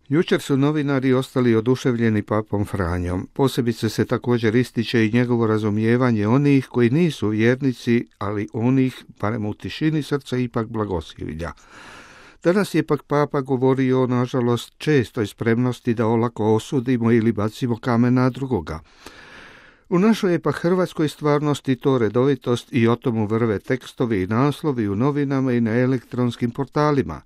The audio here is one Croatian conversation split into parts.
Jučer su novinari ostali oduševljeni papom Franjom. Posebice se također ističe i njegovo razumijevanje onih koji nisu vjernici, ali onih, barem u tišini srca, ipak blagosilja. Danas je pak papa govorio o, nažalost, čestoj spremnosti da olako osudimo ili bacimo kamen na drugoga. U našoj je pa hrvatskoj stvarnosti to redovitost i o tomu vrve tekstovi i naslovi u novinama i na elektronskim portalima.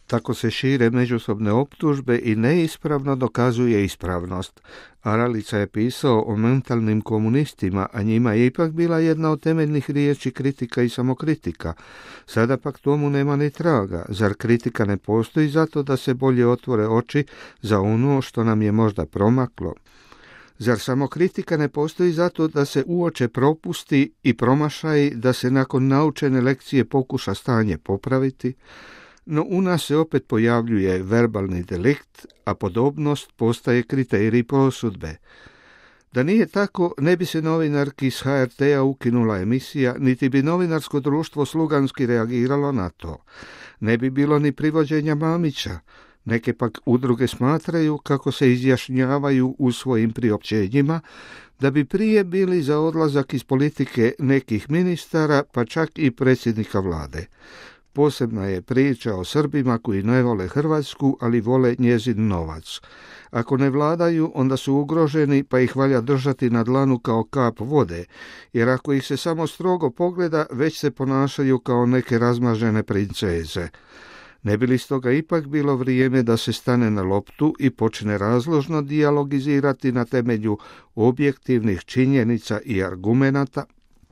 Tako se šire međusobne optužbe i neispravno dokazuje ispravnost. Aralica je pisao o mentalnim komunistima, a njima je ipak bila jedna od temeljnih riječi kritika i samokritika. Sada pak tomu nema ni traga. Zar kritika ne postoji zato da se bolje otvore oči za ono što nam je možda promaklo? Zar samokritika ne postoji zato da se uoče propusti i promašaji, da se nakon naučene lekcije pokuša stanje popraviti? No u nas se opet pojavljuje verbalni delikt, a podobnost postaje kriterij prosudbe. Da nije tako, ne bi se novinarki s HRT-a ukinula emisija, niti bi novinarsko društvo sluganski reagiralo na to. Ne bi bilo ni privođenja Mamića. Neke pak udruge smatraju, kako se izjašnjavaju u svojim priopćenjima, da bi prije bili za odlazak iz politike nekih ministara, pa čak i predsjednika vlade. Posebna je priča o Srbima koji ne vole Hrvatsku, ali vole njezin novac. Ako ne vladaju, onda su ugroženi, pa ih valja držati na dlanu kao kap vode, jer ako ih se samo strogo pogleda, već se ponašaju kao neke razmažene princeze. Ne bi li stoga ipak bilo vrijeme da se stane na loptu i počne razložno dijalogizirati na temelju objektivnih činjenica i argumenata?